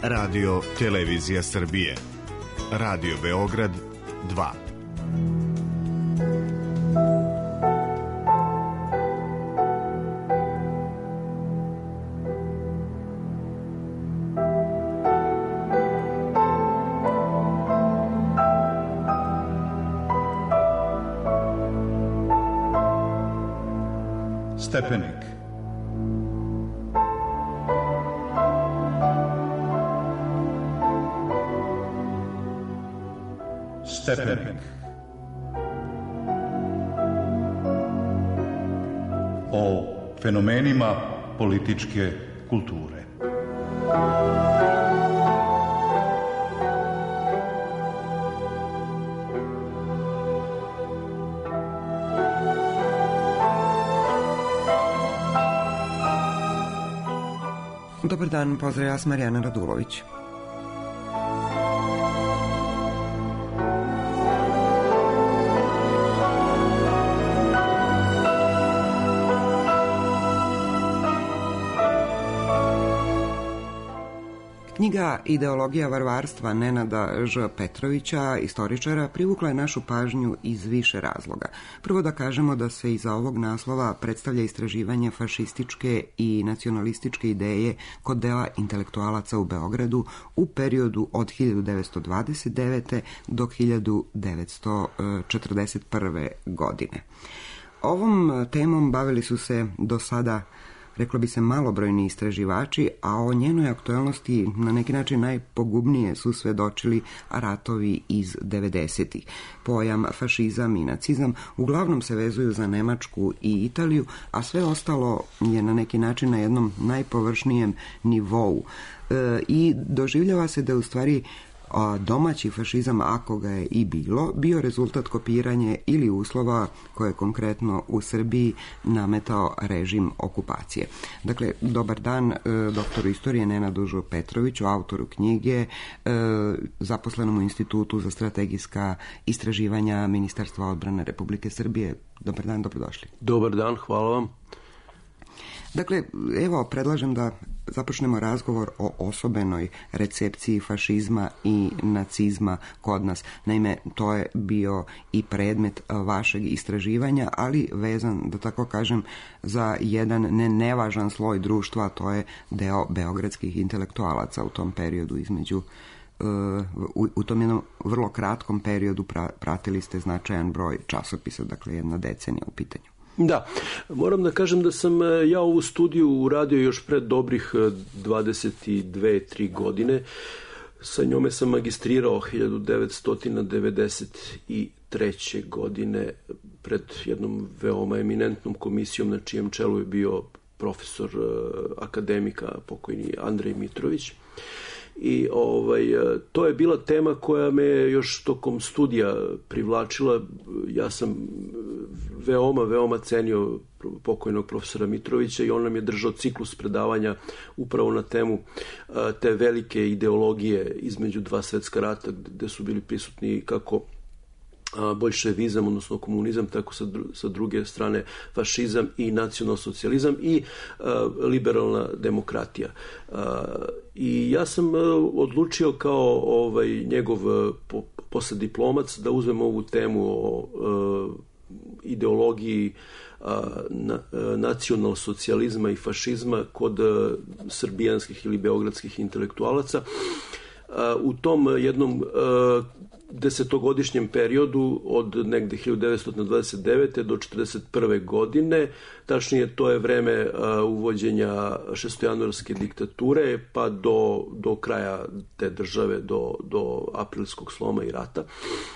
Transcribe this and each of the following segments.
Radio Televizija Srbije. Radio Beograd 2. Stepenik. Stepenik. O fenomenima političke kulture. Dobar dan, pozdrav, ja sam Marijana Radulović. Knjiga Ideologija varvarstva Nenada Ž. Petrovića, istoričara, privukla je našu pažnju iz više razloga. Prvo da kažemo da se iza ovog naslova predstavlja istraživanje fašističke i nacionalističke ideje kod dela intelektualaca u Beogradu u periodu od 1929. do 1941. godine. Ovom temom bavili su se do sada, reklo bi se, malobrojni istraživači, a o njenoj aktualnosti na neki način najpogubnije su svedočili ratovi iz 90-ih. Pojam fašizam i nacizam uglavnom se vezuju za Nemačku i Italiju, a sve ostalo je na neki način na jednom najpovršnijem nivou. I doživljava se da u stvari domaći fašizam, ako ga je i bilo, bio rezultat kopiranje ili uslova koje je konkretno u Srbiji nametao režim okupacije. Dakle, dobar dan doktoru istorije Nenadu Ž. Petroviću, autoru knjige, zaposlenom u Institutu za strategijska istraživanja Ministarstva odbrane Republike Srbije. Dobar dan, dobrodošli. Dobar dan, hvala vam. Dakle, evo, predlažem da započnemo razgovor o osobenoj recepciji fašizma i nacizma kod nas. Naime, to je bio i predmet vašeg istraživanja, ali vezan, da tako kažem, za jedan nevažan sloj društva, a to je deo beogradskih intelektualaca u tom periodu između u tom jednom vrlo kratkom periodu pratili ste značajan broj časopisa, dakle jedna decenija u pitanju. Da, moram da kažem da sam ja ovu studiju uradio još pred dobrih 22-3 godine. Sa njome sam magistrirao 1993. godine pred jednom veoma eminentnom komisijom na čijem čelu je bio profesor akademika pokojni Andrej Mitrović. I to je bila tema koja me još tokom studija privlačila. Ja sam veoma cenio pokojnog profesora Mitrovića i on nam je držao ciklus predavanja upravo na temu te velike ideologije između dva svetska rata, gde su bili prisutni kako boljševizam, odnosno komunizam, tako sa druge strane fašizam i nacionalsocijalizam i liberalna demokratija. I ja sam odlučio kao njegov poslediplomac da uzmem ovu temu o ideologiji nacionalsocijalizma i fašizma kod srbijanskih ili beogradskih intelektualaca. U tom jednom desetogodišnjem periodu od negde 1929. do 1941. godine, tačnije to je vreme uvođenja šestojanuarske diktature pa do kraja te države, do aprilskog sloma i rata.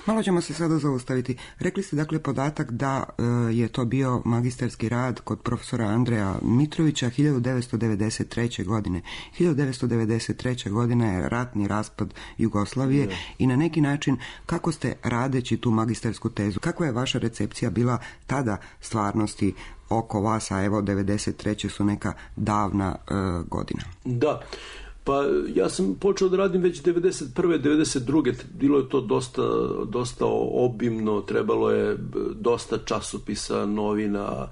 Malo ćemo se sada zaustaviti. Rekli ste dakle podatak da je to bio magistarski rad kod profesora Andreja Mitrovića 1993. godine. 1993. godina je ratni raspad Jugoslavije i na neki način kako ste radeći tu magistarsku tezu, kakva je vaša recepcija bila tada stvarnosti oko vas, a evo 93. su neka davna godina? Da, pa ja sam počeo da radim već 91. 92. Bilo je to dosta obimno, trebalo je dosta časopisa, novina,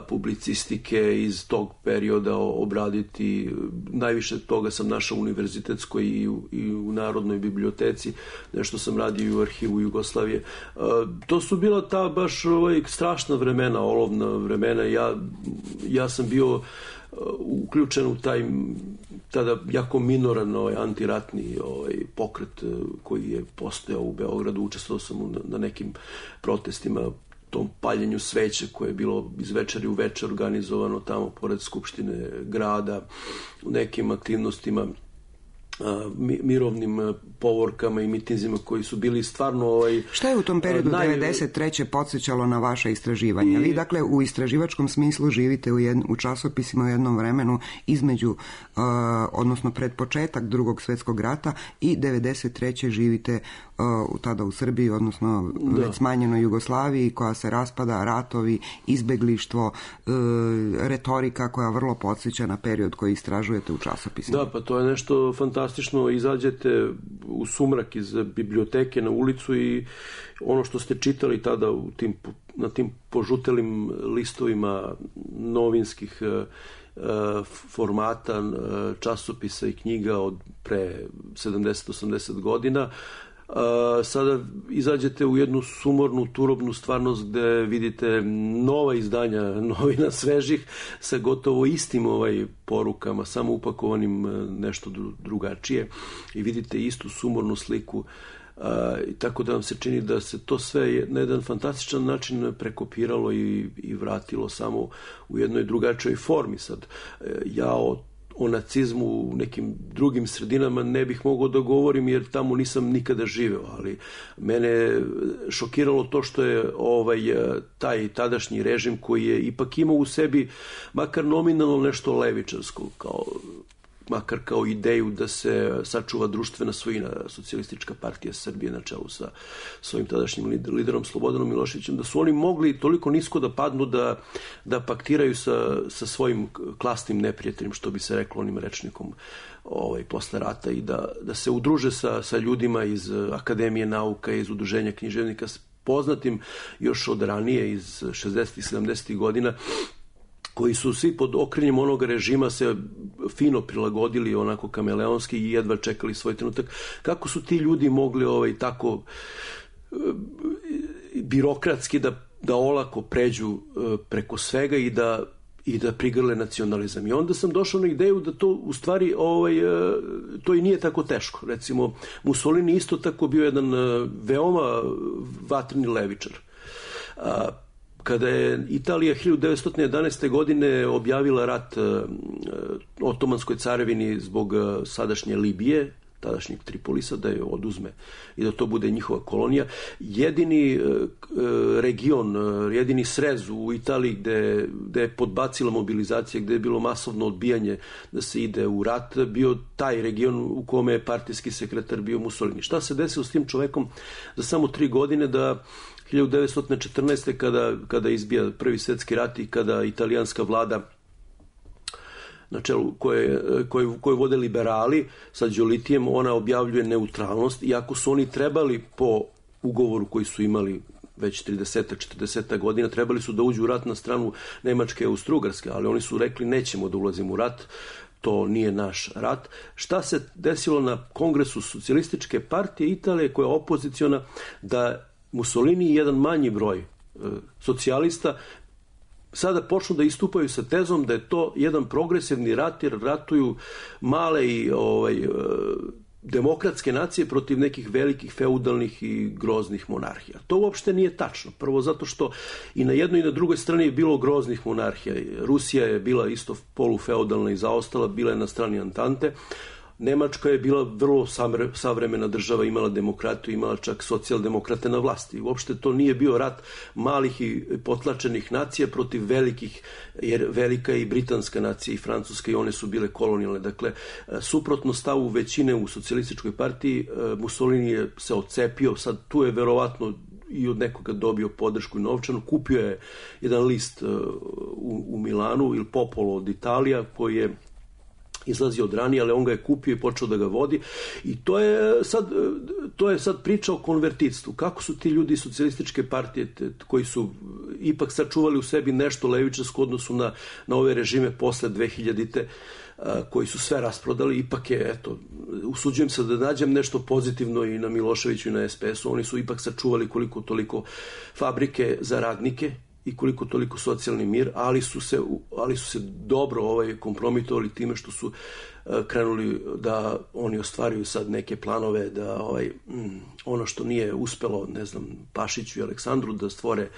publicistike iz tog perioda obraditi. Najviše toga sam našao u univerzitetskoj i u Narodnoj biblioteci, nešto sam radio i u arhivu Jugoslavije. To su bila ta baš strašna vremena, olovna vremena. Ja sam bio uključen u taj tada jako minoran antiratni pokret koji je postojao u Beogradu. Učestvovao sam na nekim protestima, tom paljenju sveće koje je bilo iz večeri u večer organizovano tamo pored Skupštine grada, u nekim aktivnostima, mirovnim povorkama i mitinzima koji su bili stvarno... Šta je u tom periodu 93. podsjećalo na vaša istraživanja? Vi, dakle, u istraživačkom smislu živite u časopisima u jednom vremenu između, odnosno pred početak Drugog svjetskog rata i 93. živite tada u Srbiji, odnosno već smanjenoj Jugoslaviji koja se raspada, ratovi, izbeglištvo, retorika koja vrlo podsjeća na period koji istražujete u časopisima. Da, pa to je nešto fantastično. Izađete u sumrak iz biblioteke na ulicu i ono što ste čitali tada na tim požutelim listovima novinskih formata, časopisa i knjiga od pre 70-80 godina, sada izađete u jednu sumornu, turobnu stvarnost gde vidite nova izdanja novina svežih sa gotovo istim porukama, samo upakovanim nešto drugačije i vidite istu sumornu sliku. Tako da vam se čini da se to sve na jedan fantastičan način prekopiralo i vratilo samo u jednoj drugačijoj formi. Sad, ja o nacizmu u nekim drugim sredinama ne bih mogao da govorim jer tamo nisam nikada živeo, ali mene šokiralo to što je taj tadašnji režim koji je ipak imao u sebi makar nominalno nešto levičarsko, makar kao ideju da se sačuva društvena svojina, Socijalistička partija Srbije na čelu sa svojim tadašnjim liderom Slobodanom Miloševićem, da su oni mogli toliko nisko da padnu da paktiraju sa svojim klasnim neprijateljem, što bi se reklo onim rečnikom posle rata, i da se udruže sa ljudima iz Akademije nauka, iz Udruženja književnika, poznatim još od ranije iz 60. i 70. godina, koji su svi pod okriljem onog režima se fino prilagodili onako kameleonski i jedva čekali svoj trenutak. Kako su ti ljudi mogli tako birokratski da olako pređu preko svega i da prigrle nacionalizam. I onda sam došao na ideju da to u stvari to i nije tako teško. Recimo, Mussolini isto tako bio jedan veoma vatreni levičar. Kada je Italija 1911. godine objavila rat Otomanskoj carevini zbog sadašnje Libije, tadašnjeg Tripolisa, da je oduzme i da to bude njihova kolonija, jedini region, jedini srez u Italiji gde je podbacila mobilizacija, gde je bilo masovno odbijanje da se ide u rat, bio taj region u kome je partijski sekretar bio Mussolini. Šta se desilo s tim čovekom za samo 3 godine da 1914. kada izbija Prvi svjetski rat i kada italijanska vlada na čelu koje vode liberali sa Đolitijem, ona objavljuje neutralnost, iako su oni trebali po ugovoru koji su imali već 30-40 godina, trebali su da uđu u rat na stranu Nemačke i Austro-Ugarske, ali oni su rekli nećemo da ulazimo u rat, to nije naš rat. Šta se desilo na kongresu Socijalističke partije Italije, koja je opoziciona, da Mussolini i jedan manji broj socijalista sada počnu da istupaju sa tezom da je to jedan progresivni rat, jer ratuju male i demokratske nacije protiv nekih velikih feudalnih i groznih monarhija. To uopšte nije tačno. Prvo zato što i na jednoj i na drugoj strani je bilo groznih monarhija. Rusija je bila isto polufeudalna i zaostala, bila je na strani Antante. Nemačka je bila vrlo savremena država, imala demokratiju, imala čak socijaldemokrate na vlasti. Uopšte to nije bio rat malih i potlačenih nacija protiv velikih, jer velika je i britanska nacija i francuska i one su bile kolonijalne. Dakle, suprotno stavu većine u Socijalističkoj partiji, Mussolini je se odcepio, sad tu je verovatno i od nekoga dobio podršku i novčanu, kupio je jedan list u Milanu, Il Popolo od Italija, koji je izlazi od ranije, ali on ga je kupio i počeo da ga vodi. I to je sad priča o konvertitstvu. Kako su ti ljudi iz socijalističke partije koji su ipak sačuvali u sebi nešto levičarsko u odnosu na ove režime posle 2000-te, koji su sve rasprodali, ipak je, eto, usuđujem se da nađem nešto pozitivno i na Miloševiću i na SPS-u. Oni su ipak sačuvali koliko toliko fabrike za radnike i koliko toliko socijalni mir, ali su se dobro kompromitovali time što su krenuli da oni ostvaruju sad neke planove da ono što nije uspelo, ne znam, Pašiću i Aleksandru da stvore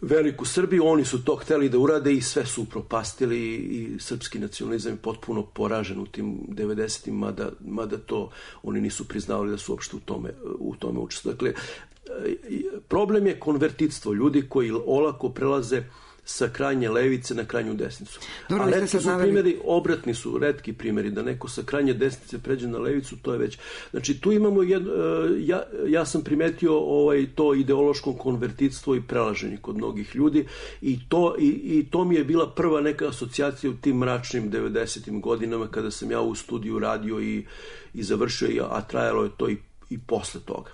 veliku Srbiju, oni su to hteli da urade i sve su upropastili i srpski nacionalizam je potpuno poražen u tim 90-im, mada to oni nisu priznavali da su uopšte u tome učestvovali. Dakle, problem je konvertitstvo, ljudi koji olako prelaze sa krajnje levice na krajnju desnicu. Dobro, a retki su primjeri, obratni su retki primjeri, da neko sa krajnje desnice pređe na levicu, to je već... Znači, tu imamo ja sam primetio to ideološko konvertitstvo i prelaženje kod mnogih ljudi i to mi je bila prva neka asocijacija u tim mračnim 90-im godinama kada sam ja u studiju radio i završio, a trajalo je to i posle toga.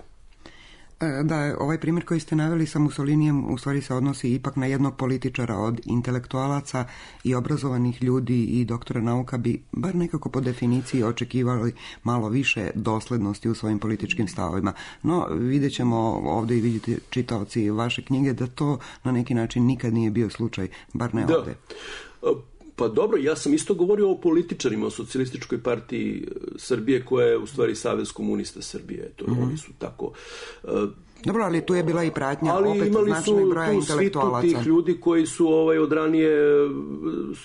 Da, ovaj primjer koji ste naveli sa Mussolinijem u stvari se odnosi ipak na jednog političara. Od intelektualaca i obrazovanih ljudi i doktora nauka bi bar nekako po definiciji očekivali malo više doslednosti u svojim političkim stavovima. No, vidjet ćemo ovdje i vidite čitaoci vaše knjige da to na neki način nikad nije bio slučaj, bar ne ovdje. Pa dobro, ja sam isto govorio o političarima, o socijalističkoj partiji Srbije koja je u stvari Savez komunista Srbije. Oni su tako... Dobro, ali tu je bila i pratnja opet značajnog broja intelektualaca. Ali imali su tu svitu tih ljudi koji su od ranije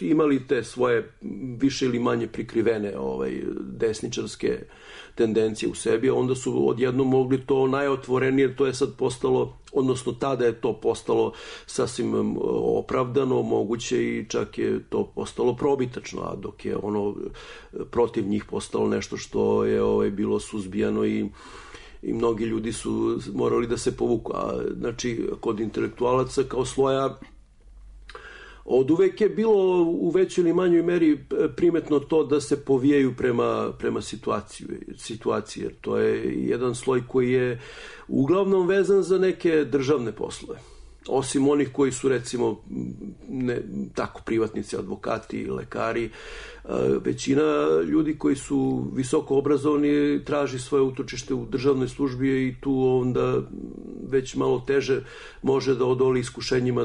imali te svoje više ili manje prikrivene desničarske tendencije u sebi, a onda su odjednom mogli to najotvorenije, to je sad postalo, odnosno tada je to postalo sasvim opravdano, moguće i čak je to postalo probitačno, a dok je ono protiv njih postalo nešto što je bilo suzbijano i mnogi ljudi su morali da se povuku. Znači, kod intelektualaca kao sloja od uvek je bilo u većoj ili manjoj meri primetno to da se povijaju prema situaciji, jer to je jedan sloj koji je uglavnom vezan za neke državne poslove. Osim onih koji su, recimo, tako privatnici, advokati, lekari, većina ljudi koji su visoko obrazovani traži svoje utočište u državnoj službi i tu onda već malo teže može da odoli iskušenjima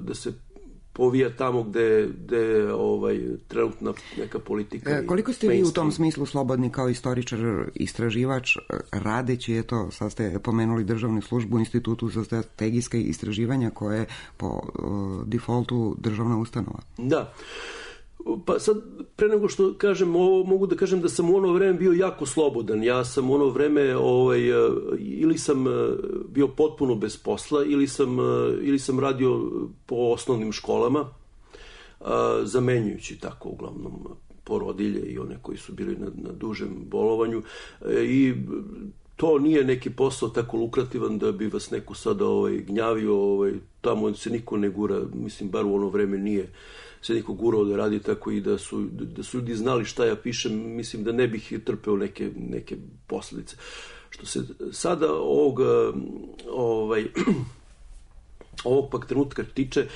da se povija tamo gde trenutna neka politika. Koliko ste vi u tom smislu slobodni kao istoričar, istraživač, radeći, sad ste pomenuli državnu službu u Institutu za strategijske istraživanja koje je po defaultu državna ustanova? Da. Pa sad, pre nego što kažem ovo, mogu da kažem da sam u ono vreme bio jako slobodan. Ja sam u ono vreme ili sam bio potpuno bez posla, ili sam radio po osnovnim školama, zamenjujući tako uglavnom porodilje i one koji su bili na dužem bolovanju. I to nije neki posao tako lukrativan da bi vas neko sada gnjavio, tamo se niko ne gura, mislim, bar u ono vreme nije se niko gurao da radi tako i da su ljudi znali šta ja pišem, mislim da ne bih trpeo neke posljedice. Što se sada ovog pak trenutka tiče,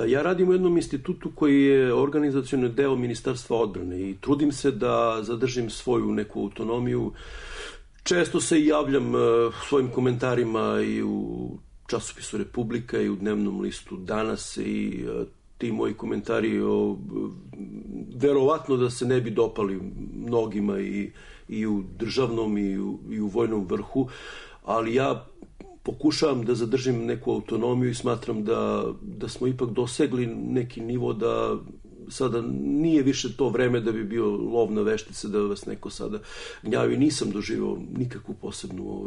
ja radim u jednom institutu koji je organizacioni deo Ministarstva odbrane i trudim se da zadržim svoju neku autonomiju. Često se i javljam svojim komentarima i u časopisu Republika i u dnevnom listu Danas i ti moji komentari verovatno da se ne bi dopali mnogima i u državnom i u vojnom vrhu, ali ja pokušavam da zadržim neku autonomiju i smatram da smo ipak dosegli neki nivo da sada nije više to vreme da bi bio lov na veštice, da vas neko sada gnjavi. Nisam doživio nikakvu posebnu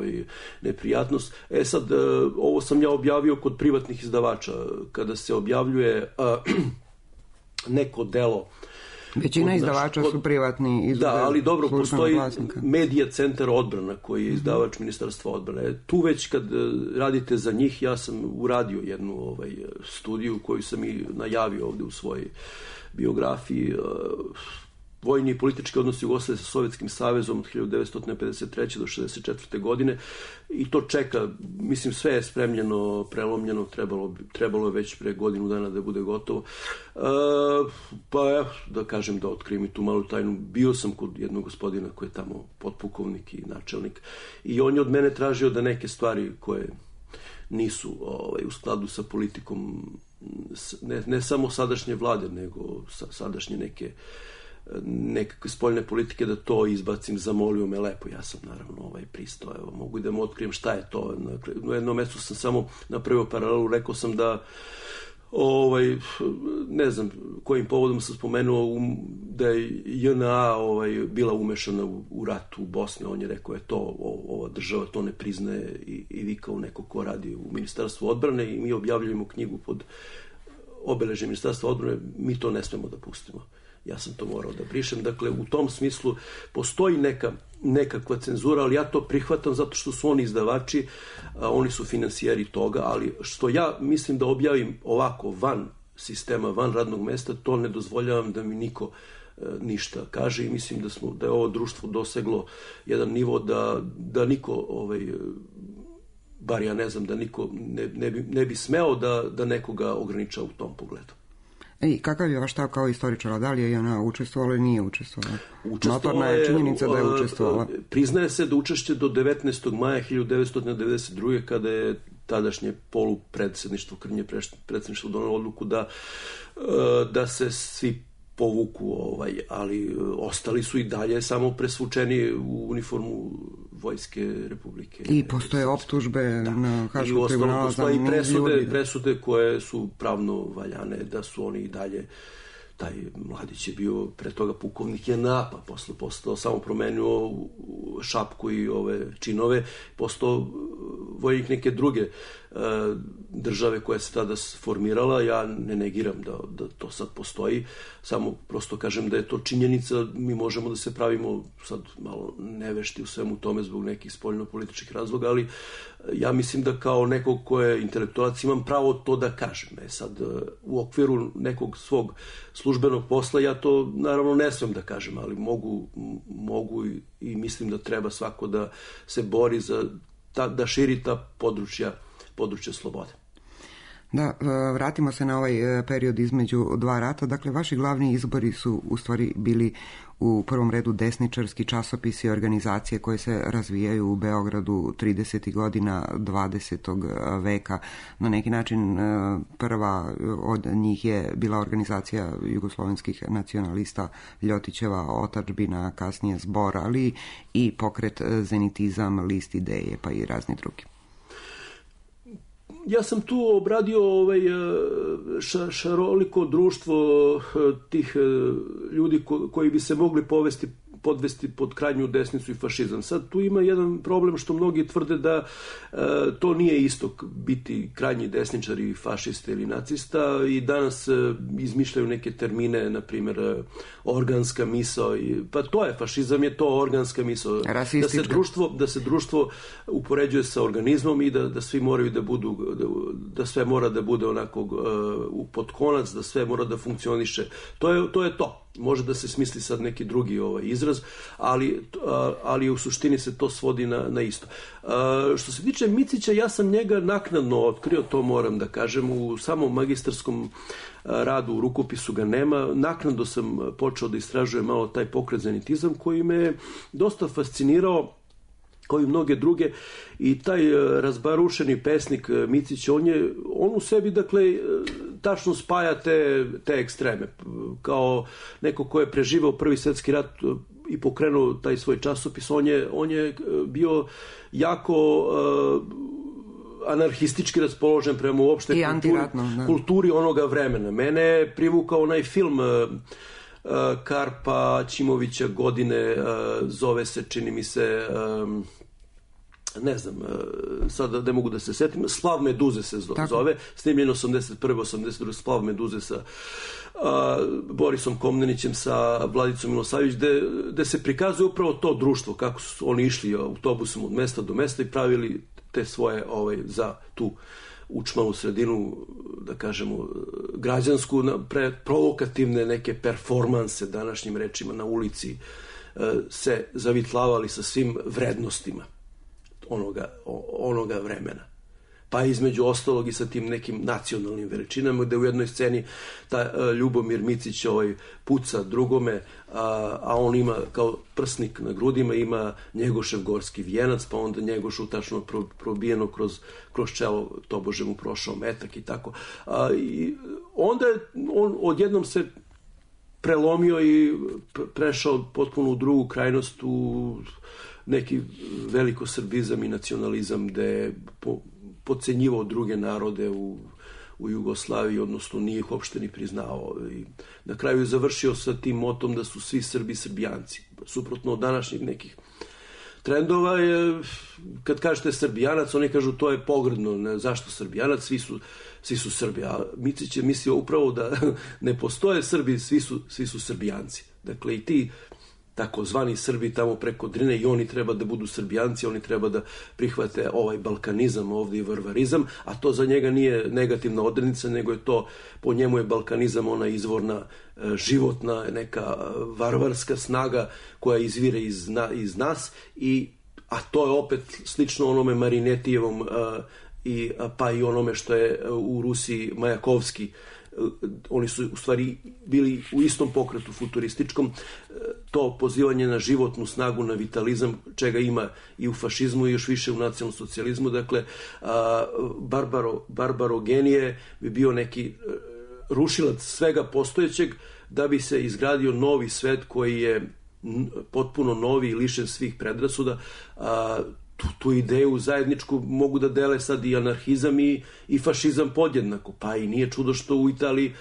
neprijatnost. Sad, ovo sam ja objavio kod privatnih izdavača. Kada se objavljuje neko delo... Većina izdavača su privatni. Da, ali dobro, postoji Medija centar odbrana koji je izdavač Ministarstva odbrane. Tu već kad radite za njih, ja sam uradio jednu studiju koju sam i najavio ovdje u svojoj biografiji. vojni i politički odnosi Jugoslavije sa Sovjetskim savezom od 1953. do 1964. godine i to čeka, mislim sve je spremljeno, prelomljeno, trebalo je već pre godinu dana da bude gotovo. Pa evo, da kažem, da otkrijem i tu malu tajnu, bio sam kod jednog gospodina koji je tamo potpukovnik i načelnik i on je od mene tražio da neke stvari koje nisu u skladu sa politikom ne samo sadašnje vlade, nego sadašnje nekakve spoljne politike, da to izbacim. Zamolio me lepo, ja sam naravno pristao, evo, mogu da mu otkrijem šta je to. Na jednom mjestu sam samo napravio paralelu, rekao sam da ne znam kojim povodom sam spomenuo da je JNA bila umešana u rat u Bosni. On je rekao, ova država to ne priznaje i vi kao neko ko radi u Ministarstvu odbrane i mi objavljujemo knjigu pod obeležjem Ministarstva odbrane, mi to ne smemo da pustimo. Ja sam to morao da brišem. Dakle, u tom smislu postoji nekakva cenzura, ali ja to prihvatam zato što su oni izdavači, oni su financijeri toga, ali što ja mislim da objavim ovako van sistema, van radnog mesta, to ne dozvoljavam da mi niko ništa kaže i mislim da je ovo društvo doseglo jedan nivo da niko, bar ja ne znam, da niko ne bi smeo da nekoga ograniča u tom pogledu. I kakav je vaš stav kao istoričara? Da li je ona učestvovala ili nije učestvovala? Notorna je činjenica da je učestvovala. Priznaje se da učešće do 19. maja 1992. kada je tadašnje polupredsjedništvo, krnje predsjedništvo donalo odluku da se svi povuku, ali ostali su i dalje samo presvučeni u uniformu Vojske Republike. I postoje optužbe na Haškom tribunalu za niz ljudi. Presude koje su pravno valjane, da su oni i dalje, taj mladić je bio pre toga pukovnik JNA, pa posle postao, samo promenio šapku i ove činove, postao vojnik neke druge države koja se tada formirala. Ja ne negiram da to sad postoji, samo prosto kažem da je to činjenica. Mi možemo da se pravimo sad malo nevešti u svemu tome zbog nekih spoljno-političkih razloga, ali ja mislim da kao nekog ko je intelektualac imam pravo to da kažem. Sad, u okviru nekog svog službenog posla ja to naravno ne smem da kažem, ali mogu i mislim da treba svako da se bori da širi ta područja slobode. Da, vratimo se na ovaj period između dva rata. Dakle, vaši glavni izbori su u stvari bili u prvom redu desničarski časopisi i organizacije koje se razvijaju u Beogradu 30. godina 20. veka. Na neki način prva od njih je bila organizacija jugoslovenskih nacionalista Ljotićeva otadžbina, kasnije Zbor, ali i pokret Zenitizam, List ideje, pa i razni drugi. Ja sam tu obradio šaroliko društvo tih ljudi koji bi se mogli podvesti pod krajnju desnicu i fašizam. Sad tu ima jedan problem što mnogi tvrde da to nije isto biti krajnji desničar i fašista ili nacista i danas izmišljaju neke termine, na primjer organska misao. Pa to je, fašizam je to, organska misao. Da se društvo upoređuje sa organizmom i da svi moraju da budu, da sve mora da bude onako pod konac, da sve mora da funkcioniše. To je to. Može da se smisli sad neki drugi izraz, ali u suštini se to svodi na isto. Što se tiče Micića, ja sam njega naknadno otkrio, to moram da kažem, u samom magistarskom radu, u rukopisu ga nema. Naknadno sam počeo da istražujem malo taj pokret Zenitizam koji me dosta fascinirao, kao i mnoge druge, i taj razbarušeni pesnik Micić, on u sebi, dakle, tačno spaja te ekstreme. Kao neko ko je preživao Prvi svjetski rat i pokrenuo taj svoj časopis, on je bio jako anarhistički raspoložen prema uopšte kulturi onoga vremena. Mene je privukao onaj film Karpa Ćimovića Godine, zove se, čini mi se, ne znam, sad ne mogu da se setim, Splav Meduze se zove, snimljeno 81. 82. Splav Meduze sa Borisom Komnenićem, sa Vladicom Milosavljević, gde se prikazuje upravo to društvo, kako su oni išli autobusom od mesta do mesta i pravili te svoje za tu učmalu sredinu, da kažemo, građansku, provokativne neke performanse, današnjim rečima, na ulici, se zavitlavali sa svim vrednostima onoga vremena. Pa između ostalog i sa tim nekim nacionalnim veličinama, gde u jednoj sceni ta Ljubomir Micić puca drugome, a on ima kao prsnik na grudima, ima Njegošev gorski vijenac, pa onda Njegošu tačno probijeno kroz čelo, tobože mu prošao metak i tako. I onda on odjednom se prelomio i prešao potpuno u drugu krajnost, u neki velikosrbizam i nacionalizam, gde je podcenjivao druge narode u Jugoslaviji, odnosno nije ih uopšte ni priznao. I na kraju je završio sa tim motom da su svi Srbi Srbijanci. Suprotno od današnjih nekih trendova je, kad kažete Srbijanac, oni kažu to je pogrdno, ne, zašto Srbijanac, svi su Srbi. A Micić je mislio upravo da ne postoje Srbi, svi su Srbijanci. Dakle, i ti takozvani Srbi tamo preko Drine, i oni treba da budu Srbijanci, oni treba da prihvate ovaj balkanizam ovdje i varvarizam, a to za njega nije negativna odrednica, nego je to, po njemu je balkanizam ona izvorna, životna, neka varvarska snaga koja izvire iz nas, a to je opet slično onome Marinetijevom, pa i onome što je u Rusiji Majakovski. Oni su u stvari bili u istom pokretu futurističkom, to pozivanje na životnu snagu, na vitalizam, čega ima i u fašizmu i još više u nacionalnom socijalizmu. Dakle, barbarogenije bi bio neki rušilac svega postojećeg da bi se izgradio novi svet koji je potpuno novi i lišen svih predrasuda. Tu ideju zajedničku mogu da dele sad i anarhizam i fašizam podjednako. Pa i nije čudo što u Italiji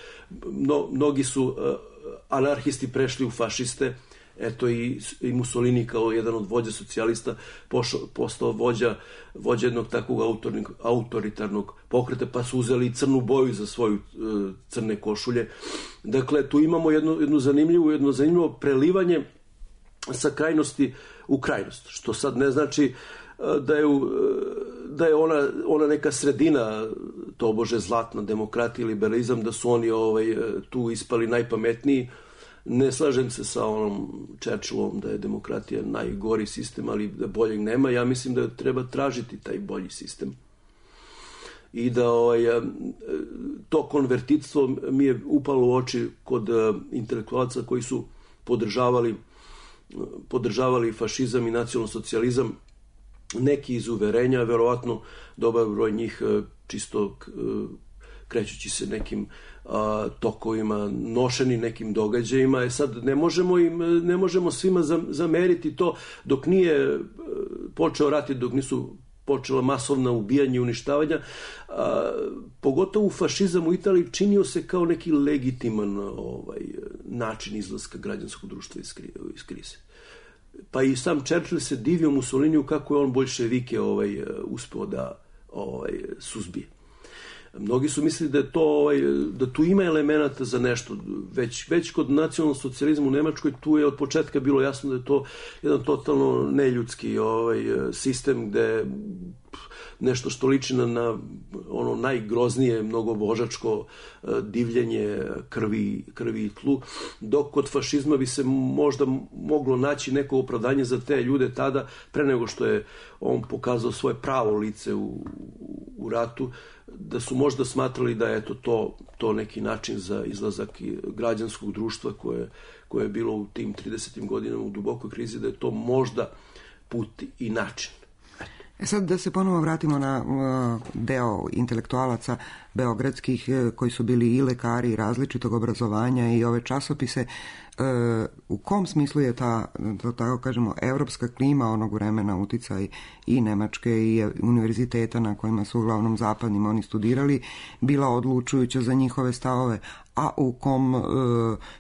mnogi su anarhisti prešli u fašiste. Eto i Mussolini kao jedan od vođa socijalista postao vođa jednog takvog autoritarnog pokreta, pa su uzeli crnu boju za svoju crne košulje. Dakle, tu imamo jedno zanimljivo prelivanje sa krajnosti u krajnost, što sad ne znači da je ona neka sredina, tobože zlatna demokratija i liberalizam, da su oni tu ispali najpametniji. Ne slažem se sa onom Churchillom da je demokratija najgori sistem, ali da boljeg nema. Ja mislim da treba tražiti taj bolji sistem. I da to konvertitstvo mi je upalo u oči kod intelektualaca koji su podržavali fašizam i nacionalsocijalizam, neki iz uverenja, verovatno dobar broj njih čisto krećući se nekim tokovima, nošeni nekim događajima. Sad ne možemo svima zameriti to dok nije počeo rat i dok nisu počela masovna ubijanja i uništavanja. Pogotovo fašizam u Italiji činio se kao neki legitiman način izlaska građanskog društva iz krize. Pa i sam Churchill se divio Mussoliniju kako je on boljševike uspeo da suzbije. Mnogi su mislili da tu ima elemenata za nešto. Već kod nacionalnog socijalizma u Nemačkoj tu je od početka bilo jasno da je to jedan totalno neljudski sistem gde nešto što liči na ono najgroznije mnogobožačko divljenje krvi i tlu, dok kod fašizma bi se možda moglo naći neko opravdanje za te ljude tada, pre nego što je on pokazao svoje pravo lice u ratu, da su možda smatrali da je to neki način za izlazak građanskog društva koje je bilo u tim 30. godinama u dubokoj krizi, da je to možda put i način. Sad da se ponovo vratimo na deo intelektualaca beogradskih koji su bili i lekari i različitog obrazovanja i ove časopise. U kom smislu je ta, da tako kažemo, evropska klima onog vremena, uticaj i Nemačke i univerziteta na kojima su uglavnom zapadnim oni studirali, bila odlučujuća za njihove stavove, a u kom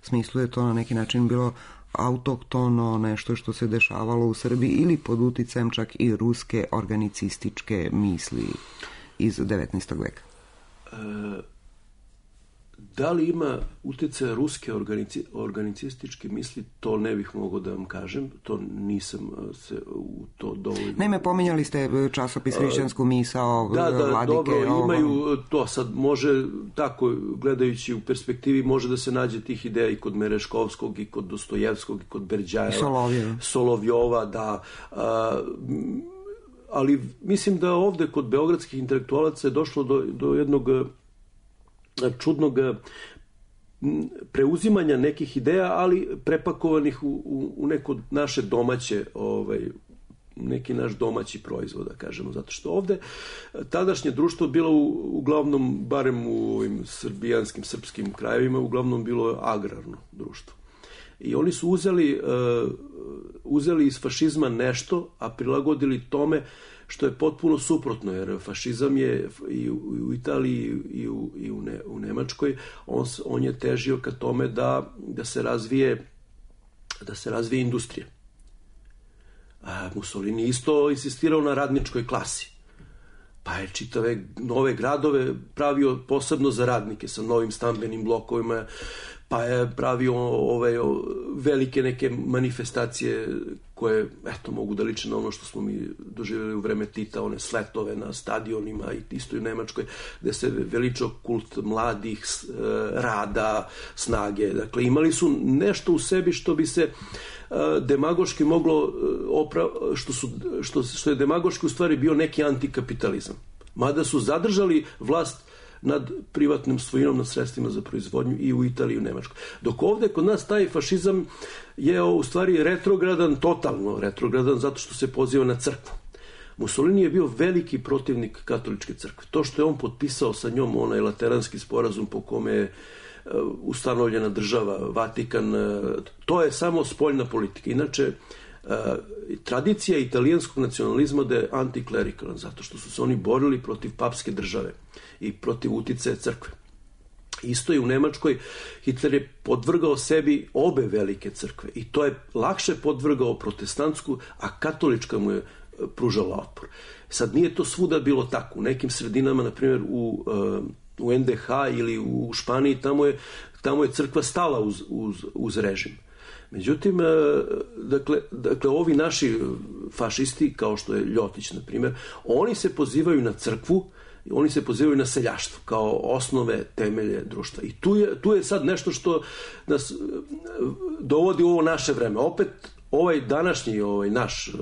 smislu je to na neki način bilo autohtono, nešto što se dešavalo u Srbiji ili pod uticajem čak i ruske organicističke misli iz 19. veka? Da li ima utjecaja ruske organicističke misli, to ne bih mogao da vam kažem, to nisam se u to dovoljno... Naime, pominjali ste časopis Hrišćansku misao, Vladike... Dobro, imaju to, sad može, tako, gledajući u perspektivi, može da se nađe tih ideja i kod Mereškovskog, i kod Dostojevskog, i kod Berđajeva, Solovjova, da... ali mislim da ovde kod beogradskih intelektualaca je došlo do jednog čudnog preuzimanja nekih ideja, ali prepakovanih u neko naše domaće, neki naš domaći proizvod, da kažemo, zato što ovde tadašnje društvo bilo uglavnom, barem u ovim srpskim krajevima, uglavnom bilo agrarno društvo. I oni su uzeli iz fašizma nešto, a prilagodili tome što je potpuno suprotno, jer fašizam je i u Italiji i u Nemačkoj, on je težio ka tome da se razvije industrija. A Mussolini isto insistirao na radničkoj klasi. Pa je čitave nove gradove pravio posebno za radnike sa novim stambenim blokovima, pa je pravio velike neke manifestacije koje, eto, mogu da liče na ono što smo mi doživjeli u vreme Tita, one sletove na stadionima i isto i u Nemačkoj, gde se veličao kult mladih, rada, snage. Dakle, imali su nešto u sebi što bi se demagoški moglo što je demagoški u stvari bio neki antikapitalizam. Mada su zadržali vlast nad privatnom svojinom, nad sredstvima za proizvodnju i u Italiji i u Nemačkoj. Dok ovde kod nas taj fašizam je u stvari retrogradan, totalno retrogradan, zato što se poziva na crkvu. Mussolini je bio veliki protivnik katoličke crkve. To što je on potpisao sa njom onaj lateranski sporazum po kome je ustanovljena država, Vatikan, to je samo spoljna politika. Inače, tradicija italijanskog nacionalizma da je antiklerikalan, zato što su se oni borili protiv papske države i protiv uticaja crkve. Isto i u Nemačkoj Hitler je podvrgao sebi obe velike crkve i to je lakše podvrgao protestantsku, a katolička mu je pružala otpor. Sad nije to svuda bilo tako. U nekim sredinama, na primjer u NDH ili u Španiji, tamo je crkva stala uz režim. Međutim, dakle, ovi naši fašisti, kao što je Ljotić, na primjer, oni se pozivaju na crkvu, oni se pozivaju na seljaštvo kao osnove, temelje društva. I tu je sad nešto što nas dovodi u ovo naše vreme. Opet, ovaj današnji, naš,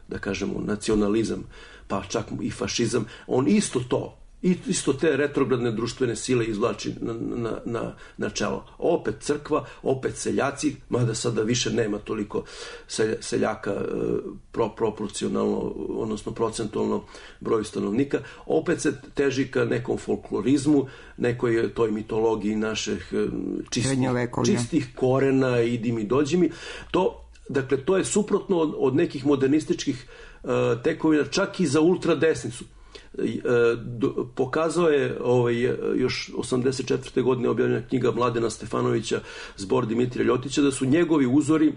da kažemo, nacionalizam, pa čak i fašizam, on isto te retrogradne društvene sile izvlači na čelo. Opet crkva, opet seljaci, mada sada više nema toliko seljaka proporcionalno, odnosno procentualno broju stanovnika, opet se teži ka nekom folklorizmu, nekoj toj mitologiji naših čistih korena, idi mi, dođi mi. Dakle, to je suprotno od nekih modernističkih tekovina, čak i za ultradesnicu. Pokazao je još 84. godine objavljena knjiga Mladena Stefanovića Zbor Dimitrija Ljotića da su njegovi uzori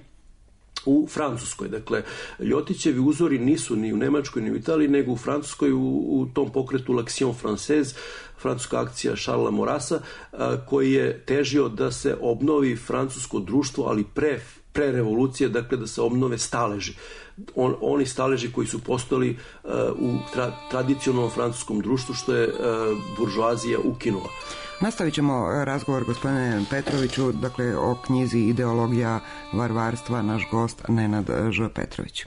u Francuskoj. Dakle, Ljotićevi uzori nisu ni u Nemačkoj ni u Italiji, nego u Francuskoj u tom pokretu L'Action Française, francuska akcija Charlesa Maurrasa, koji je težio da se obnovi francusko društvo, ali pre revolucije, dakle da se obnove staleži. Oni staleži koji su postojali u tradicionalnom francuskom društvu, što je buržoazija ukinula. Nastavit ćemo razgovor, gospodine Petroviću, dakle o knjizi Ideologija varvarstva, naš gost Nenad Ž. Petrović.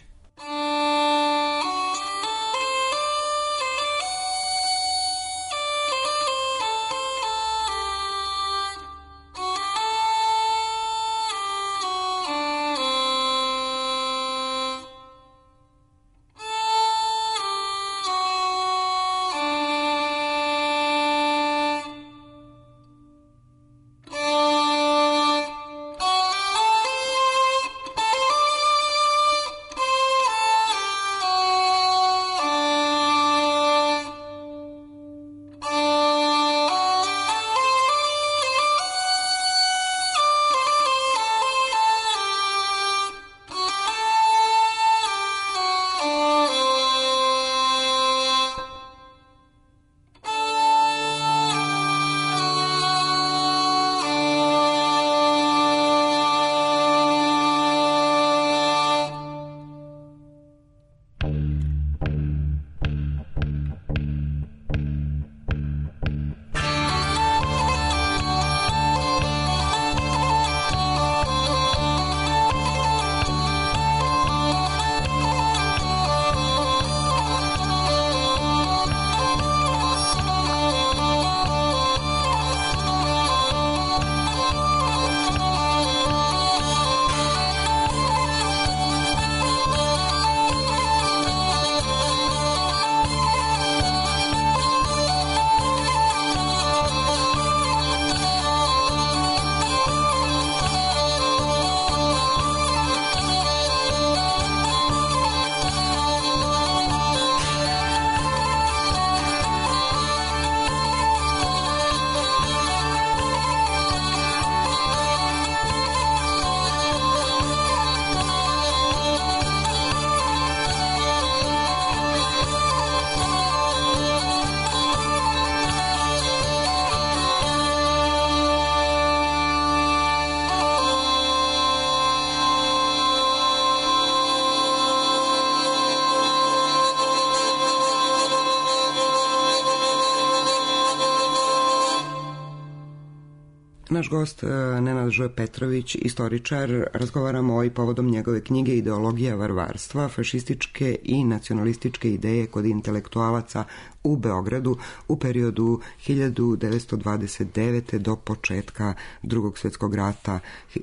Naš gost Nenad Ž. Petrović, istoričar, razgovaramo i povodom njegove knjige Ideologija varvarstva, fašističke i nacionalističke ideje kod intelektualaca u Beogradu u periodu 1929. do početka Drugog svjetskog rata,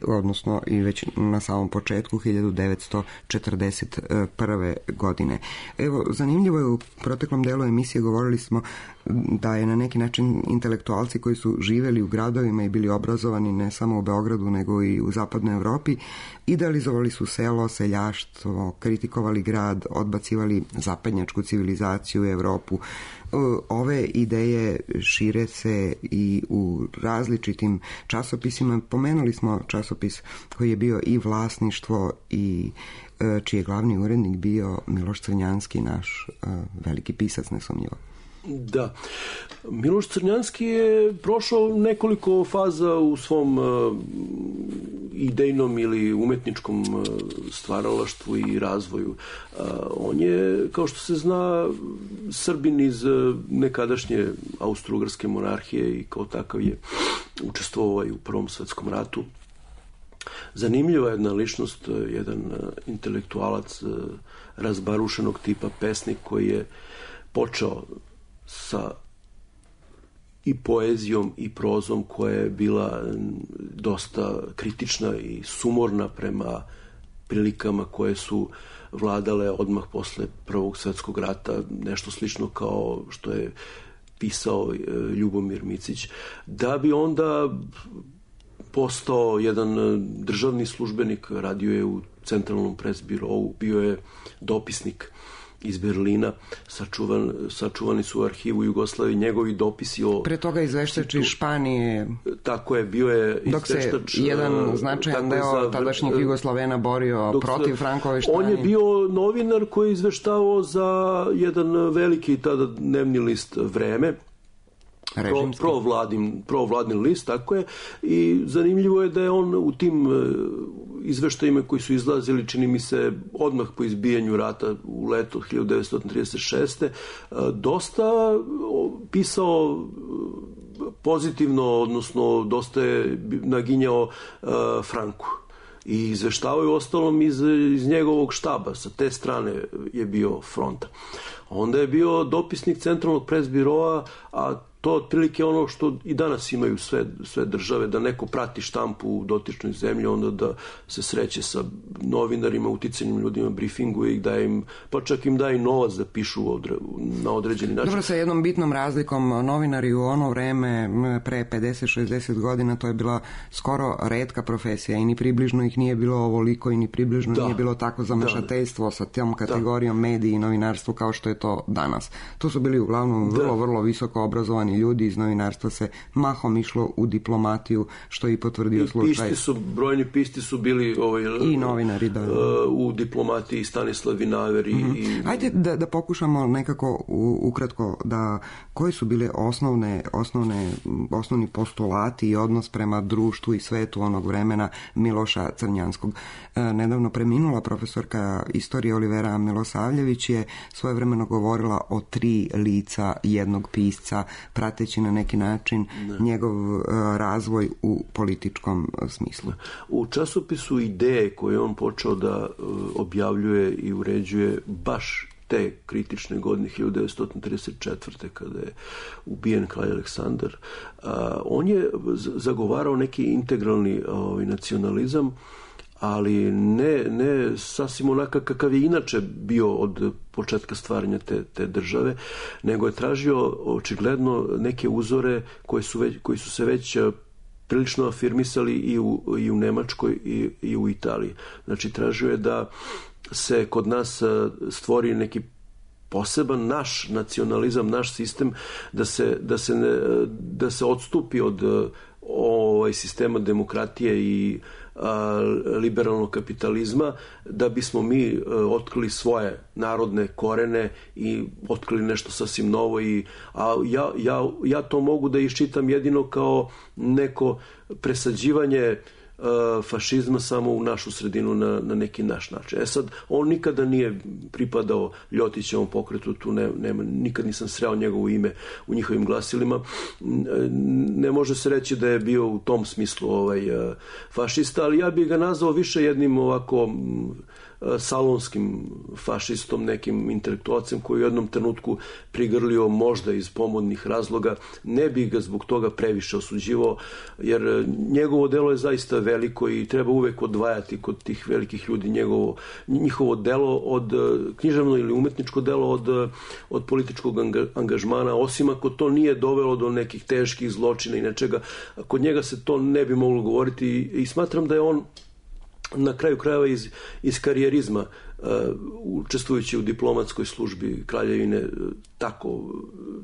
odnosno i već na samom početku 1941. godine. Evo, zanimljivo je, u proteklom delu emisije govorili smo da je na neki način intelektualci koji su živjeli u gradovima i bili obrazovani ne samo u Beogradu nego i u zapadnoj Europi, idealizovali su selo, seljaštvo, kritikovali grad, odbacivali zapadnjačku civilizaciju u Europu. Ove ideje šire se i u različitim časopisima. Pomenuli smo časopis koji je bio i vlasništvo i čiji je glavni urednik bio Miloš Crnjanski, naš veliki pisac, nesumnjivo. Da. Miloš Crnjanski je prošao nekoliko faza u svom idejnom ili umetničkom stvaralaštvu i razvoju. On je, kao što se zna, Srbin iz nekadašnje Austro-Ugarske monarhije i kao takav je učestvovao i u Prvom svjetskom ratu. Zanimljiva jedna ličnost, jedan intelektualac razbarušenog tipa, pesnik koji je počeo sa i poezijom i prozom koja je bila dosta kritična i sumorna prema prilikama koje su vladale odmah posle Prvog svjetskog rata, nešto slično kao što je pisao Ljubomir Micić, da bi onda postao jedan državni službenik, radio je u Centralnom presbirou, bio je dopisnik iz Berlina, sačuvani su u arhivu Jugoslavije njegovi dopisi o... Pre toga izveštač iz Španije. Tako je, bio je izveštač... Dok se jedan značajan deo tadašnjih Jugoslavena borio protiv Frankove Španije. On je bio novinar koji je izveštavao za jedan veliki tada dnevni list Vreme, provladin list, tako je, i zanimljivo je da je on u tim izveštajima koji su izlazili, čini mi se, odmah po izbijanju rata u leto 1936. dosta pisao pozitivno, odnosno dosta je naginjao Franku. I izveštavao je ostalom iz njegovog štaba, sa te strane je bio fronta. Onda je bio dopisnik Centralnog presbiroa, a to otprilike ono što i danas imaju sve države, da neko prati štampu u dotičnoj zemlji, onda da se sreće sa novinarima, uticajnim ljudima, briefinguje ih, daje im, pa čak im daje novac da pišu na određeni način. Dobro, sa jednom bitnom razlikom, novinari u ono vreme, pre 50-60 godina, to je bila skoro retka profesija i ni približno ih nije bilo ovoliko i ni približno nije bilo tako zamešateljstvo sa tom kategorijom mediji i novinarstvo kao što je to danas. To su bili uglavnom vrlo visoko obrazovani ljudi, iz novinarstva se mahom išlo u diplomatiju, što je i potvrdio slučaj. Brojni pisti su bili i novinari, u diplomatiji, Stanislav Vinaver i... Ajde da pokušamo nekako ukratko koje su bile osnovni postulati i odnos prema društvu i svetu onog vremena Miloša Crnjanskog. Nedavno preminula profesorka istorije Olivera Milosavljević je svojevremeno govorila o 3 lica jednog pisca, prateći na neki način njegov razvoj u političkom smislu. U časopisu Ideje koje on počeo da objavljuje i uređuje baš te kritične godine 1934. kada je ubijen kralj Aleksandar, on je zagovarao neki integralni nacionalizam, ali ne sasvim onakav kakav je inače bio od početka stvaranja te države, nego je tražio očigledno neke uzore koji su se već prilično afirmisali i u Nemačkoj i u Italiji. Znači, tražio je da se kod nas stvori neki poseban naš nacionalizam, naš sistem, da se odstupi od sistema demokratije i liberalnog kapitalizma, da bismo mi otkrili svoje narodne korene i otkrili nešto sasvim novo. Ja to mogu da iščitam jedino kao neko presađivanje fašizma samo u našu sredinu na neki naš način. Sad, on nikada nije pripadao Ljotićevom pokretu, tu nikad nisam sreo njegovo ime u njihovim glasilima. Ne može se reći da je bio u tom smislu fašista, ali ja bih ga nazvao više jednim ovako salonskim fašistom, nekim intelektualcem koji u jednom trenutku prigrlio možda iz pomodnih razloga. Ne bih ga zbog toga previše osuđivao, jer njegovo delo je zaista veliko i treba uvek odvajati kod tih velikih ljudi njihovo delo od književno ili umetničko delo od političkog angažmana, osim ako to nije dovelo do nekih teških zločina i nečega. Kod njega se to ne bi moglo govoriti i smatram da je on na kraju krajeva iz karijerizma, učestvujući u diplomatskoj službi kraljevine,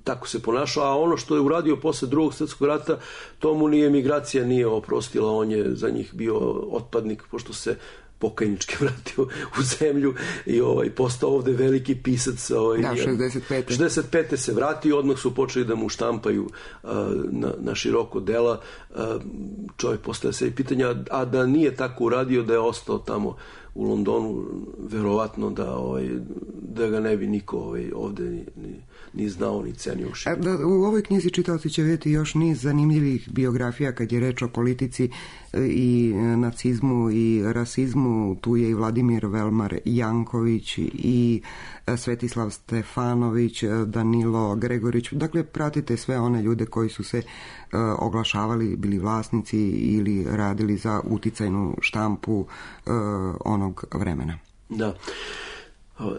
tako se ponašao, a ono što je uradio posle Drugog svjetskog rata, to mu ni emigracija nije oprostila, on je za njih bio otpadnik, pošto se pokajnički vratio u zemlju i postao ovde veliki pisac. 65. se vratio, odmah su počeli da mu štampaju na široko dela. Čovjek postavlja se pitanja, a da nije tako uradio, da je ostao tamo u Londonu, verovatno da ga ne bi niko ovde ni znao, ni cenio. U ovoj knjizi čitaoci će vidjeti još niz zanimljivih biografija kad je reč o politici i nacizmu i rasizmu. Tu je i Vladimir Velmar Janković i Svetislav Stefanović, Danilo Gregorić. Dakle, pratite sve one ljude koji su se oglašavali, bili vlasnici ili radili za uticajnu štampu onog vremena. Da.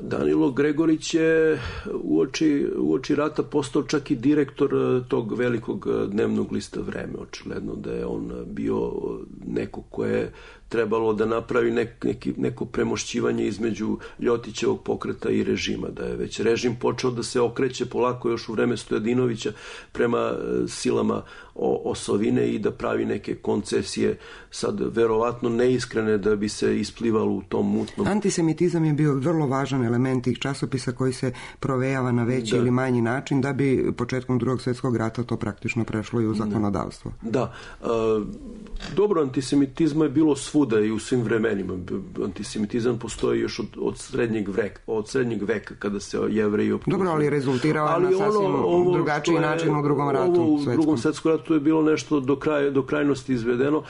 Danilo Gregorić je uoči rata postao čak i direktor tog velikog dnevnog lista Vreme. Očigledno da je on bio neko koje je trebalo da napravi neko premošćivanje između Ljotićevog pokreta i režima, da je već režim počeo da se okreće polako još u vreme Stojadinovića prema silama osovine i da pravi neke koncesije, sad verovatno neiskrene, da bi se isplivalo u tom mutnom. Antisemitizam je bio vrlo važan element tih časopisa koji se provejava na veći ili manji način, da bi početkom Drugog svjetskog rata to praktično prešlo i u zakonodavstvo. Da. Dobro, antisemitizma je bilo svuda i u svim vremenima. Antisemitizam postoji još od srednjeg veka kada se Jevreji optužuju. Dobro, ali rezultirao na sasvim drugačiji način u Drugom ratu. U Drugom svjetskom ratu je bilo nešto do krajnosti izvedeno.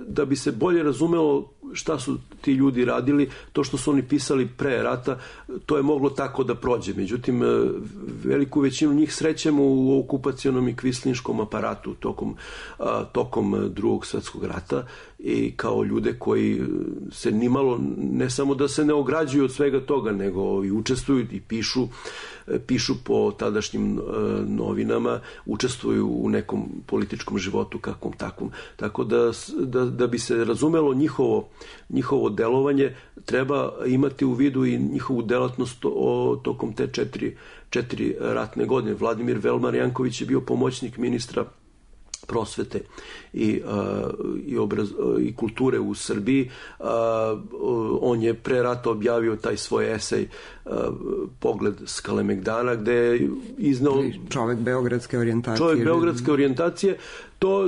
Da bi se bolje razumelo šta su ti ljudi radili, to što su oni pisali pre rata, to je moglo tako da prođe. Međutim, veliku većinu njih srećemo u okupacionom i kvislinškom aparatu tokom Drugog svjetskog rata i kao ljude koji se nimalo, ne samo da se ne ograđuju od svega toga, nego i učestvuju i pišu po tadašnjim novinama, učestvuju u nekom političkom životu kakvom takvom. Tako da bi se razumelo njihovo delovanje, treba imati u vidu i njihovu delatnost tokom te četiri ratne godine. Vladimir Velmar Janković je bio pomoćnik ministra prosvete i kulture u Srbiji. On je pre rata objavio taj svoj esej Pogled s Kalemegdana, gde je iznao čovek beogradske orijentacije.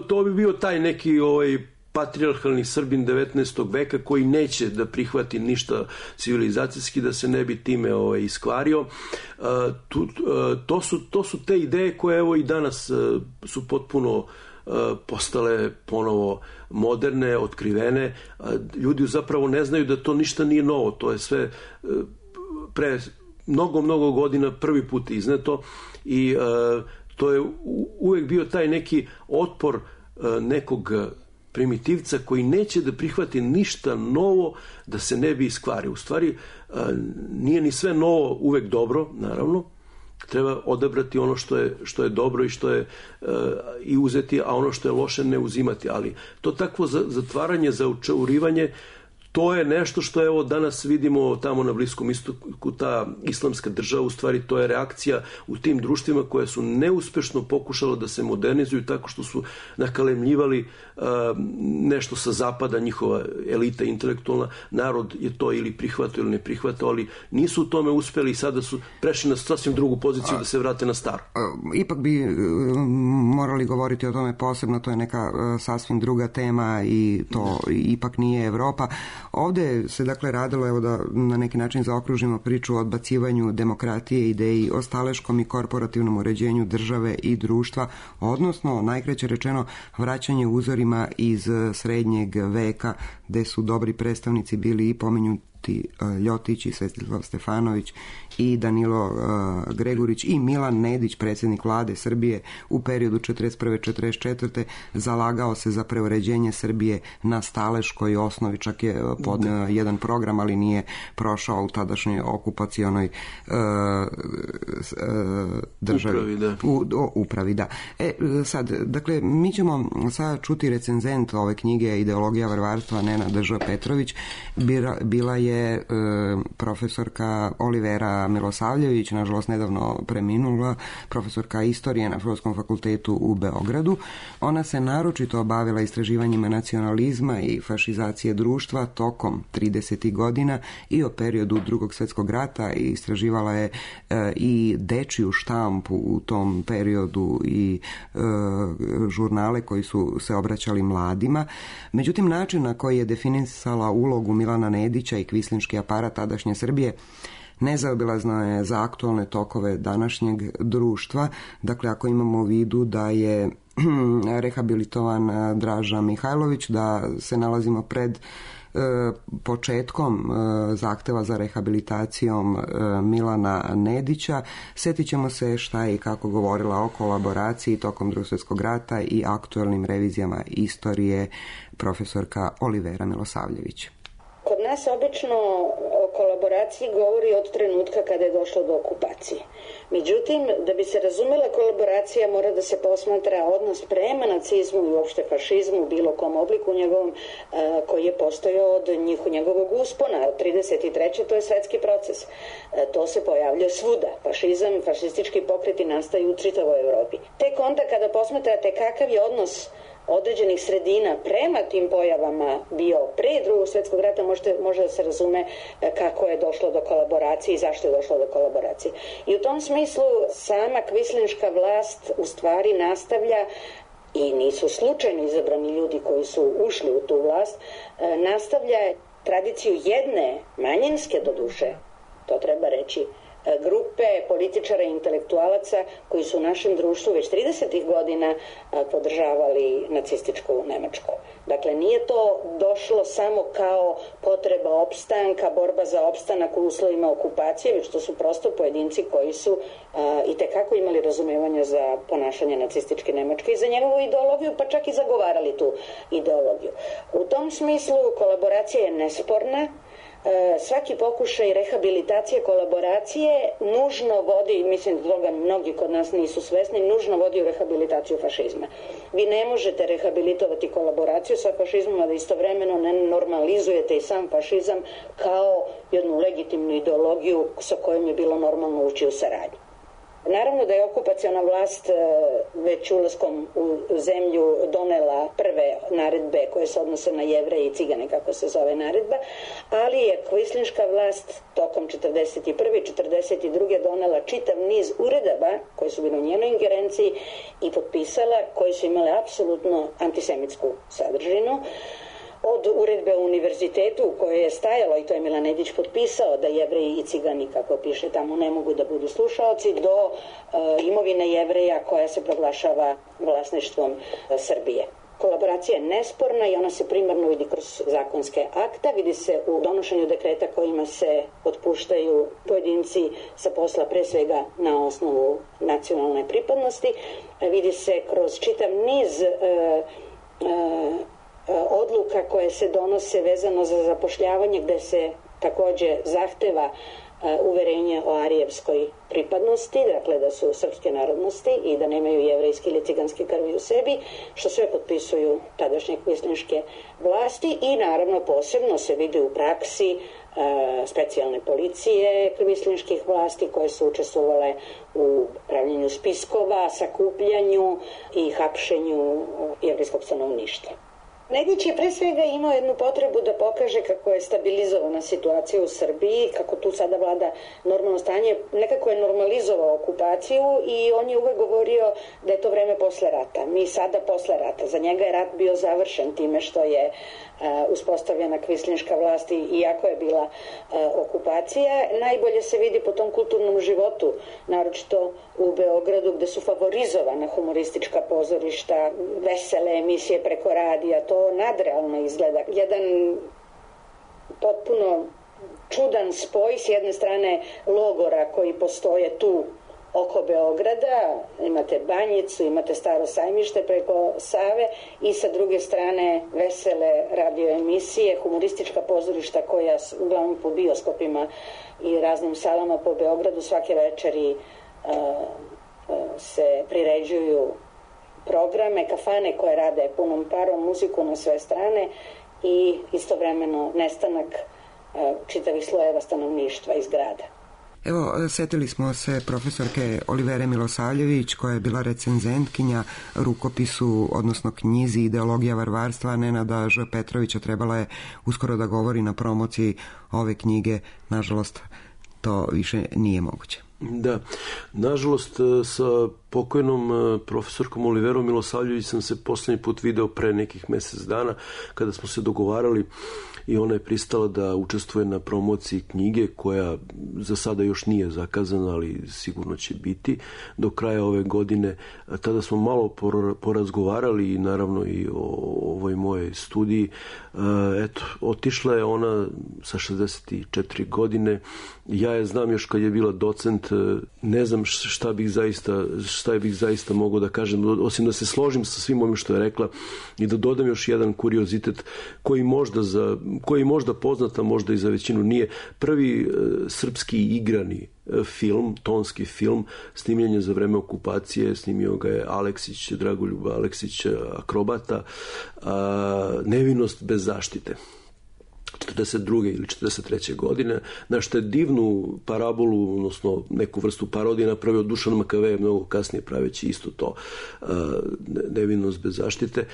To bi bio taj neki patrijarhalni Srbin 19. veka koji neće da prihvati ništa civilizacijski, da se ne bi time iskvario. To su te ideje koje evo i danas su potpuno postale ponovo moderne, otkrivene. Ljudi zapravo ne znaju da to ništa nije novo. To je sve pre mnogo godina prvi put izneto i to je uvek bio taj neki otpor nekog primitivca koji neće da prihvati ništa novo da se ne bi iskvario. U stvari, nije ni sve novo uvek dobro, naravno. Treba odabrati ono što je dobro i što je i uzeti, a ono što je loše ne uzimati. Ali to takvo zatvaranje, zaučaurivanje, to je nešto što evo danas vidimo tamo na Bliskom istoku, ta islamska država, u stvari to je reakcija u tim društvima koje su neuspešno pokušala da se modernizuju tako što su nakalemljivali nešto sa zapada, njihova elita intelektualna, narod je to ili prihvatao ili ne prihvatao, ali nisu u tome uspeli i sada su prešli na sasvim drugu poziciju da se vrate na staro. Ipak bi morali govoriti o tome posebno, to je neka sasvim druga tema i to ipak nije Evropa. Ovdje se dakle radilo, evo da na neki način zaokružimo priču o odbacivanju demokratije, ideji o staleškom i korporativnom uređenju države i društva, odnosno, najkraće rečeno, vraćanje uzorima iz srednjeg veka, gde su dobri predstavnici bili i pomenuti Ljotić i Svetislav Stefanović i Danilo Gregurić i Milan Nedić, predsjednik vlade Srbije u periodu 1941-1944. zalagao se za preuređenje Srbije na staleškoj osnovi, čak je podneo jedan program, ali nije prošao u tadašnjoj okupacionoj državi. Upravi, da. Sad, dakle, mi ćemo sad čuti recenzent ove knjige Ideologija varvarstva, Nenad Ž. Petrović. Bila je profesorka Olivera Milosavljević, nažalost nedavno preminula, profesorka istorije na Filozofskom fakultetu u Beogradu. Ona se naročito obavila istraživanjima nacionalizma i fašizacije društva tokom 30. godina i o periodu Drugog svjetskog rata i istraživala je i dečiju štampu u tom periodu i žurnale koji su se obraćali mladima. Međutim, način na koji je definisala ulogu Milana Nedića i kvislinški aparat tadašnje Srbije nezaobilazno je za aktualne tokove današnjeg društva. Dakle, ako imamo u vidu da je rehabilitovan Draža Mihajlović, da se nalazimo pred početkom zahteva za rehabilitacijom Milana Nedića, sjetit ćemo se šta je i kako govorila o kolaboraciji tokom Drugog svjetskog rata i aktualnim revizijama istorije profesorka Olivera Milosavljević. Kod nas obično o kolaboraciji govori od trenutka kada je došlo do okupacije. Međutim, da bi se razumela kolaboracija, mora da se posmatra odnos prema nacizmu i uopšte fašizmu u bilo kom obliku njegovom, koji je postojao od njegovog uspona. Od 1933. to je svetski proces. To se pojavlja svuda. Fašizam, fašistički pokreti nastaju u čitavoj Evropi. Tek onda kada posmatrate kakav je odnos određenih sredina prema tim pojavama bio pre Drugog svjetskog rata, može da se razume kako je došlo do kolaboracije i zašto je došlo do kolaboracije. I u tom smislu sama kvislinška vlast u stvari nastavlja, i nisu slučajno izabrani ljudi koji su ušli u tu vlast, nastavlja tradiciju jedne manjinske, doduše, to treba reći, grupe političara i intelektualaca koji su u našem društvu već 30. godina podržavali nacističku Nemačku. Dakle, nije to došlo samo kao potreba opstanka, borba za opstanak u uslovima okupacije, već to su prosto pojedinci koji su itekako imali razumevanja za ponašanje nacističke Nemačke i za njegovu ideologiju, pa čak i zagovarali tu ideologiju. U tom smislu kolaboracija je nesporna. Svaki pokušaj rehabilitacije kolaboracije nužno vodi, mislim da toga mnogi kod nas nisu svesni, nužno vodi u rehabilitaciju fašizma. Vi ne možete rehabilitovati kolaboraciju sa fašizmom, a da istovremeno ne normalizujete i sam fašizam kao jednu legitimnu ideologiju sa kojom je bilo normalno ući u saradnju. Naravno da je okupaciona vlast već ulaskom u zemlju donela prve naredbe koje se odnose na Jevreje i Cigane, kako se zove naredba, ali je kvislinška vlast tokom 1941. i 1942. donela čitav niz uredaba koji su bili u njenoj ingerenciji i potpisala, koji su imale apsolutno antisemitsku sadržinu. Od uredbe o univerzitetu u kojoj je stajalo, i to je Milan Nedić potpisao, da Jevreji i Cigani, kako piše tamo, ne mogu da budu slušaoci, do imovine Jevreja koja se proglašava vlasništvom Srbije. Kolaboracija je nesporna i ona se primarno vidi kroz zakonske akta, vidi se u donošenju dekreta kojima se otpuštaju pojedinci sa posla pre svega na osnovu nacionalne pripadnosti, vidi se kroz čitav niz odluka koje se donose vezano za zapošljavanje, gde se takođe zahteva uverenje o arijevskoj pripadnosti, dakle da su srpske narodnosti i da nemaju jevrejske ili ciganske krvi u sebi, što sve potpisuju tadašnje kvislinške vlasti i naravno posebno se vidi u praksi specijalne policije kvislinških vlasti koje su učestvovale u pravljenju spiskova, sakupljanju i hapšenju jevrejskog stanovništva. Nedić je pre svega imao jednu potrebu da pokaže kako je stabilizovana situacija u Srbiji, kako tu sada vlada normalno stanje, nekako je normalizovao okupaciju i on je uvek govorio da je to vreme posle rata. Mi sada posle rata. Za njega je rat bio završen time što je uspostavljena kvislinška vlast iako je bila okupacija. Najbolje se vidi po tom kulturnom životu, naročito u Beogradu gde su favorizovana humoristička pozorišta, vesele emisije preko radija, to nadrealno izgleda. Jedan potpuno čudan spoj, s jedne strane logora koji postoje tu oko Beograda, imate Banjicu, imate Staro sajmište preko Save i sa druge strane vesele radioemisije, humoristička pozorišta koja uglavnom po bioskopima i raznim salama po Beogradu svake večeri se priređuju programe, kafane koje rade punom parom, muziku na sve strane i istovremeno nestanak čitavih slojeva stanovništva iz grada. Evo, setili smo se profesorke Olivere Milosavljević, koja je bila recenzentkinja rukopisu, odnosno knjizi Ideologija varvarstva Nenada Ž. Petrovića. Trebala je uskoro da govori na promociji ove knjige. Nažalost, to više nije moguće. Da, nažalost sa pokojnom profesorkom Oliverom Milosavljević sam se poslednji put video pre nekih mesec dana kada smo se dogovarali i ona je pristala da učestvuje na promociji knjige koja za sada još nije zakazana, ali sigurno će biti do kraja ove godine. Tada smo malo porazgovarali i naravno i o ovoj mojej studiji. Eto, otišla je ona sa 64 godine. Ja je znam još kad je bila docent, ne znam šta bih zaista mogao da kažem, osim da se složim sa svim ovim što je rekla i da dodam još jedan kuriozitet koji možda poznat, a možda i za većinu nije. Prvi srpski igrani film, tonski film, snimljen je za vreme okupacije, snimio ga je Aleksić, Dragoljub Aleksić, akrobata, Nevinost bez zaštite. 42. ili 43. godine, na što je divnu parabolu, odnosno neku vrstu parodije napravio Dušan Makave, mnogo kasnije praveći isto to, Nevinost bez zaštite.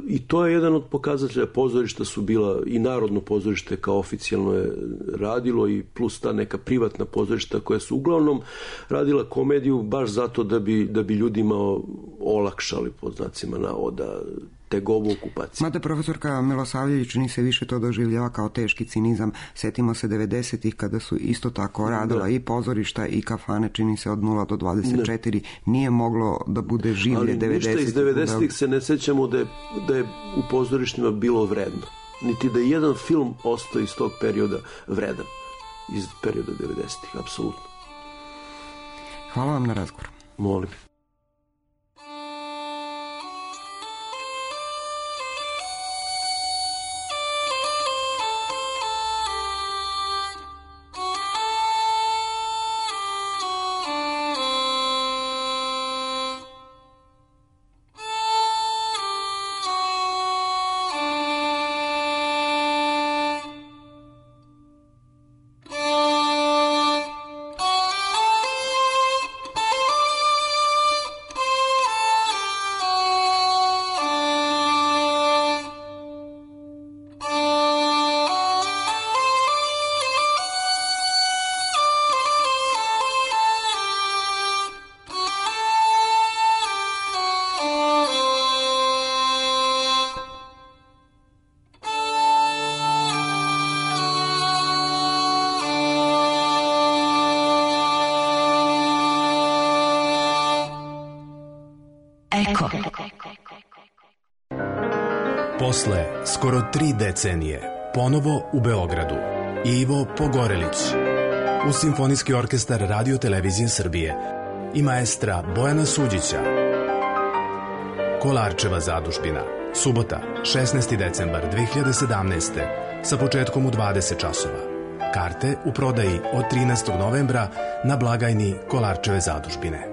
I to je jedan od pokazatelja. Pozorišta su bila i Narodno pozorište kao oficijalno je radilo i plus ta neka privatna pozorišta koja su uglavnom radila komediju baš zato da bi ljudima olakšali, pod znacima navoda, tegovu okupacije. Mada profesorka Milosavljević čini se više to doživljava kao teški cinizam. Setimo se 90-ih kada su isto tako radila i pozorišta i kafane, čini se od 0 do 24. Nije moglo da bude življe 90-ih. Ali ništa iz 90-ih se ne sećamo da je u pozorištima bilo vredno. Niti da je jedan film ostao iz tog perioda vredan. Iz perioda 90-ih, apsolutno. Hvala vam na razgovor. Molim. Posle skoro 3 decenije, ponovo u Beogradu, Ivo Pogorelić, uz Simfonijski orkestar Radio Televizije Srbije i maestra Bojana Suđića. Kolarčeva zadužbina, subota, 16. decembar 2017. sa početkom u 20 časova. Karte u prodaji od 13. novembra na blagajni Kolarčeve zadužbine.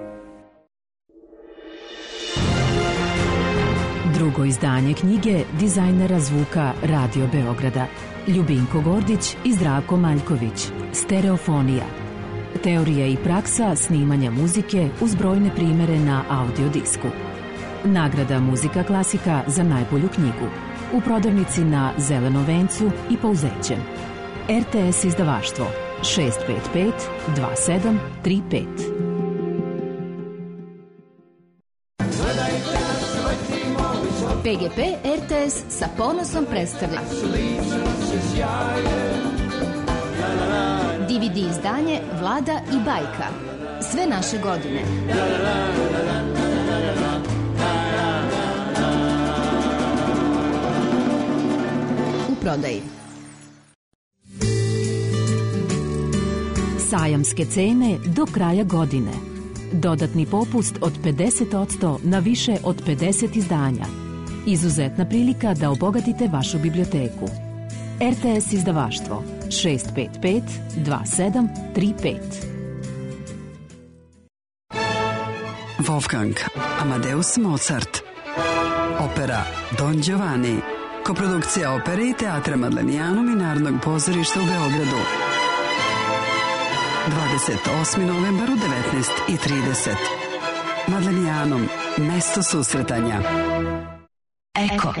Drugo izdanje knjige dizajnera zvuka Radio Beograda Ljubinko Gordić i Zdravko Maljković. Stereofonija. Teorija i praksa snimanja muzike uz brojne primere na audio disku. Nagrada Muzika klasika za najbolju knjigu. U prodavnici na Zelenom vencu i Pouzećem. RTS izdavaštvo 655 2735. PGP RTS sa ponosom predstavlja DVD izdanje Vlada i bajka. Sve naše godine. U prodaji. Sajamske cene do kraja godine. Dodatni popust od 50% na više od 50 izdanja. Izuzetna prilika da obogatite vašu biblioteku. RTS izdavaštvo 655 2735. Wolfgang Amadeus Mozart. Opera Don Giovanni. Koprodukcija opere i teatra Madlenijanom i Narodnog pozorišta u Beogradu. 28. novembar u 19:30. Madlenijanom, mesto susretanja. Eko.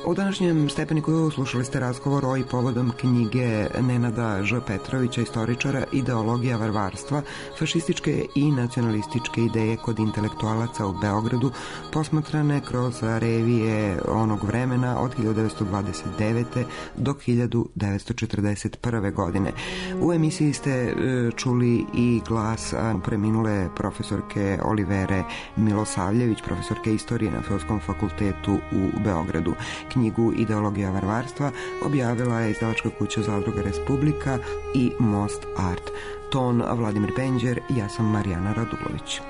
U današnjem Stepeniku slušali ste razgovor o i povodom knjige Nenada Ž. Petrovića, istoričara Ideologija varvarstva, fašističke i nacionalističke ideje kod intelektualaca u Beogradu, posmatrane kroz revije onog vremena od 1929. do 1941. godine. U emisiji ste čuli i glas preminule profesorke Olivere Milosavljević, profesorke istorije na Filozofskom fakultetu u Beogradu. Knjigu Ideologija varvarstva objavila je izdavačka kuća Zadruga Republika i Most Art. Ton Vladimir Penđer, ja sam Marijana Radulović.